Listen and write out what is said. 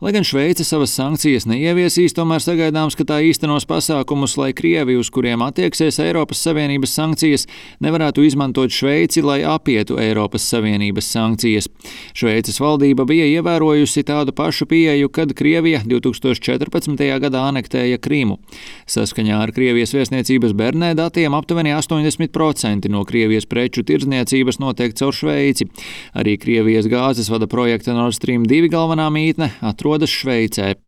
Lai gan Šveice savas sankcijas neieviesīs, tomēr sagaidāms, ka tā īstenos pasākumus, lai Krievi, uz kuriem attieksies Eiropas Savienības sankcijas, nevarētu izmantot Šveici, lai apietu Eiropas Savienības sankcijas. Šveices valdība bija ievērojusi tādu pašu pieeju, kad Krievija 2014. gadā anektēja Krimu. Saskaņā ar Krievijas vēstniecības Bernē datiem aptuveni 80% no Krievijas preču tirdzniecības notiek caur Šveici. Arī Krievijas gāzes vada projekta Nord Stream 2 galvenā mītne atrodas Šveicē.